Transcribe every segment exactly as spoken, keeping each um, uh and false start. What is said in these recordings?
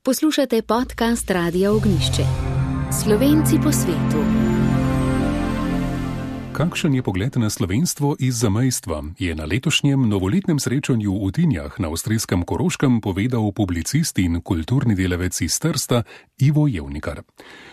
Poslušate podcast Radia Ognjišče. Slovenci po svetu. Kakšen je pogled na slovenstvo iz zamejstva, je na letošnjem novoletnem srečanju v Tinjah na avstrijskem Koroškem povedal publicist in kulturni delavec iz Trsta Ivo Jevnikar.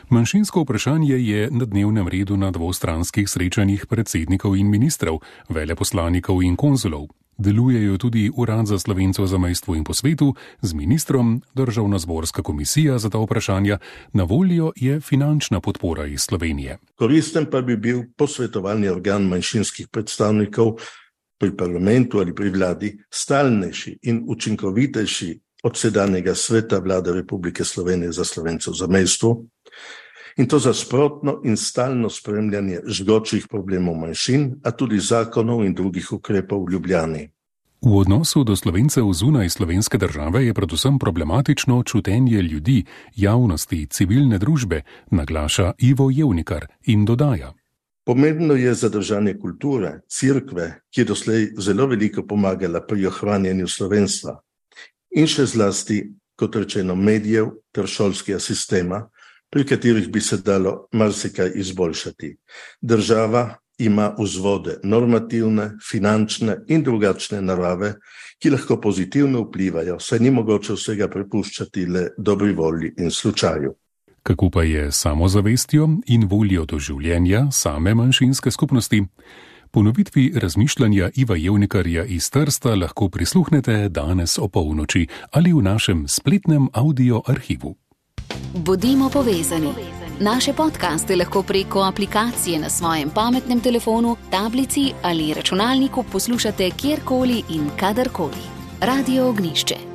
Manjšinsko vprašanje je na dnevnem redu na dvostranskih srečanjih predsednikov in ministrov, veleposlanikov in konzulov. Delujejo tudi Urad za Slovence v zamejstvu in po svetu, z ministrom, Državnozborska komisija za ta vprašanja, na voljo je finančna podpora iz Slovenije. Koristen pa bi bil posvetovalni organ manjšinskih predstavnikov pri parlamentu ali pri vladi, stalnejši in učinkovitejši od sedanjega sveta Vlade Republike Slovenije za Slovence v zamejstvu, in to za sprotno in stalno spremljanje žgočih problemov manjšin, a tudi zakonov in drugih ukrepov v Ljubljani. V odnosu do Slovencev zunaj slovenske države je predvsem problematično čutenje ljudi, javnosti, civilne družbe, naglaša Ivo Jevnikar in dodaja. Pomembno je zadržanje kulture, cerkve, ki je doslej zelo veliko pomagala pri ohranjanju slovenstva, in še zlasti, kot rečeno, medijev ter šolskega sistema, pri katerih bi se dalo marsikaj izboljšati. Država ima vzvode normativne, finančne in drugačne narave, ki lahko pozitivno vplivajo, saj ni mogoče vsega prepuščati le dobri volji in slučaju. Kako pa je samozavestjo in voljo do življenja same manjšinske skupnosti? Ponovitvi razmišljanja Iva Jevnikarja iz Trsta lahko prisluhnete danes o polnoči ali v našem spletnem audio arhivu. Bodimo povezani. Naše podcaste lahko preko aplikacije na svojem pametnem telefonu, tablici ali računalniku poslušate kjerkoli in kadarkoli. Radio Ognjišče.